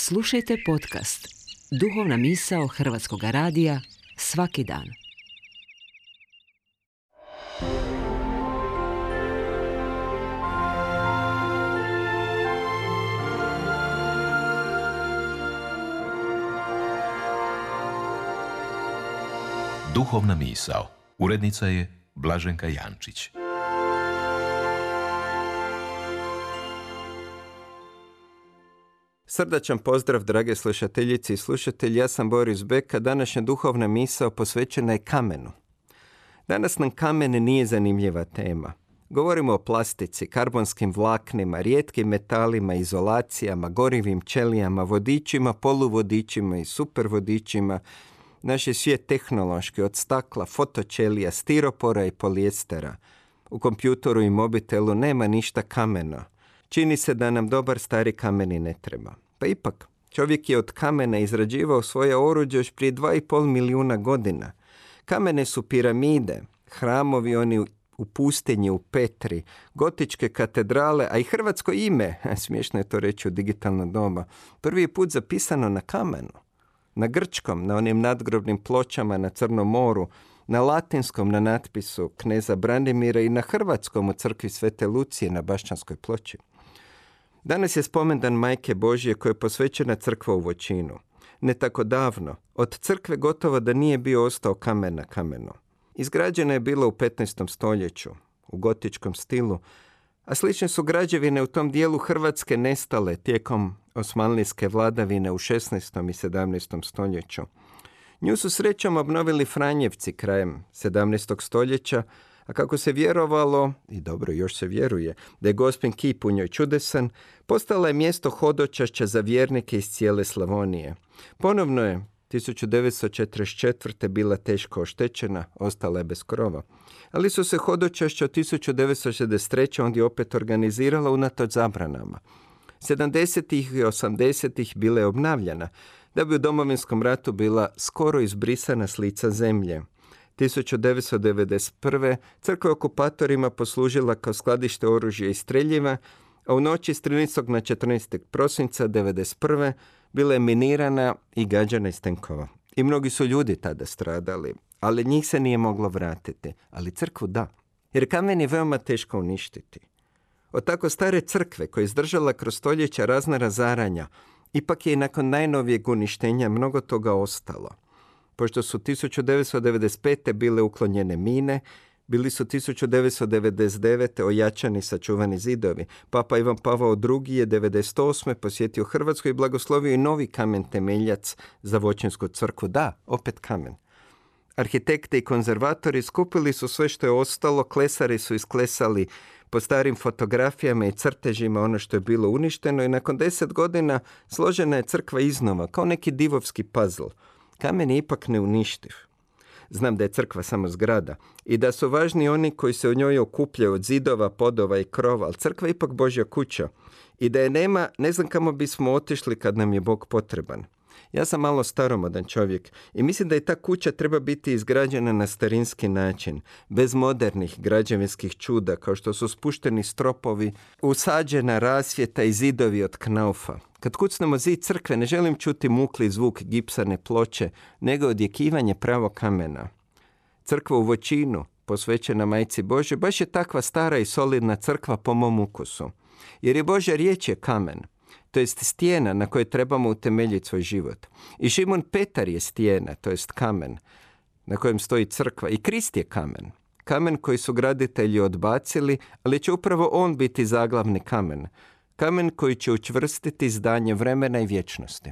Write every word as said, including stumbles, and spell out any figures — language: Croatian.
Slušajte podcast Duhovna misao Hrvatskog radija svaki dan. Duhovna misao. Urednica je Blaženka Jančić. Srdačan pozdrav, drage slušateljice i slušatelji. Ja sam Boris Beka. Današnja duhovna misao posvećena je kamenu. Danas nam kamen nije zanimljiva tema. Govorimo o plastici, karbonskim vlaknima, rijetkim metalima, izolacijama, gorivim ćelijama, vodičima, poluvodičima i supervodičima. Naš je svijet tehnološki, od stakla, fotoćelija, stiropora i polijestera. U kompjutoru i mobitelu nema ništa kameno. Čini se da nam dobar stari kamen i ne treba. Pa ipak, čovjek je od kamena izrađivao svoje oruđe još prije dva i pol milijuna godina. Kamene su piramide, hramovi oni u pustinji, u Petri, gotičke katedrale, a i hrvatsko ime, smiješno je to reći u digitalno doba, prvi put zapisano na kamenu. Na grčkom, na onim nadgrobnim pločama na Crnom moru, na latinskom na natpisu kneza Branimira i na hrvatskom u crkvi Svete Lucije na Bašćanskoj ploči. Danas je spomendan Majke Božje koja je posvećena crkva u Voćinu. Ne tako davno, od crkve gotovo da nije bio ostao kamen na kamenu. Izgrađena je bila u petnaestom stoljeću, u gotičkom stilu, a slične su građevine u tom dijelu Hrvatske nestale tijekom osmanlijske vladavine u šesnaestom i sedamnaestom stoljeću. Nju su srećom obnovili Franjevci krajem sedamnaestog stoljeća, a kako se vjerovalo, i dobro još se vjeruje, da je Gospin kip u njoj čudesan, postala je mjesto hodočašća za vjernike iz cijele Slavonije. Ponovno je tisuću devetsto četrdeset četvrte bila teško oštećena, ostala je bez krova. Ali su se hodočašća od tisuću devetsto šezdeset treće ondje opet organizirala unatoč zabranama. sedamdesetih i osamdesetih bila je obnavljana, da bi u Domovinskom ratu bila skoro izbrisana s lica zemlje. tisuću devetsto devedeset prve crkva okupatorima poslužila kao skladište oružja i streljiva, a u noći s trinaestog na četrnaesti prosinca devedeset prve bila je minirana i gađana iz tenkova. I mnogi su ljudi tada stradali, ali njih se nije moglo vratiti, ali crkvu da. Jer kamen je veoma teško uništiti. Od tako stare crkve koja je izdržala kroz stoljeća razna razaranja, ipak je i nakon najnovijeg uništenja mnogo toga ostalo. Pošto su tisuću devetsto devedeset pete bile uklonjene mine, bili su tisuću devetsto devedeset devete ojačani sačuvani zidovi. Papa Ivan Pavao drugi je devedeset osme posjetio Hrvatsku i blagoslovio i novi kamen temeljac za Voćinsku crkvu. Da, opet kamen. Arhitekte i konzervatori skupili su sve što je ostalo, klesari su isklesali po starim fotografijama i crtežima ono što je bilo uništeno i nakon deset godina složena je crkva iznova, kao neki divovski puzzle. Kamen je ipak neuništiv. Znam da je crkva samo zgrada i da su važni oni koji se u njoj okupljaju od zidova, podova i krova, ali crkva je ipak Božja kuća i da je nema, ne znam kamo bismo otišli kad nam je Bog potreban. Ja sam malo staromodan čovjek i mislim da i ta kuća treba biti izgrađena na starinski način, bez modernih građevinskih čuda kao što su spušteni stropovi, usađena rasvjeta i zidovi od knaufa. Kad kucnemo zid crkve ne želim čuti mukli zvuk gipsane ploče, nego odjekivanje pravo kamena. Crkva u Voćinu, posvećena Majci Božje, baš je takva stara i solidna crkva po mom ukusu. Jer je Božja riječ je kamen, to jest stijena na kojoj trebamo utemeljiti svoj život. I Šimon Petar je stijena, to jest kamen, na kojem stoji crkva. I Krist je kamen. Kamen koji su graditelji odbacili, ali će upravo on biti zaglavni kamen. Kamen koji će učvrstiti zdanje vremena i vječnosti.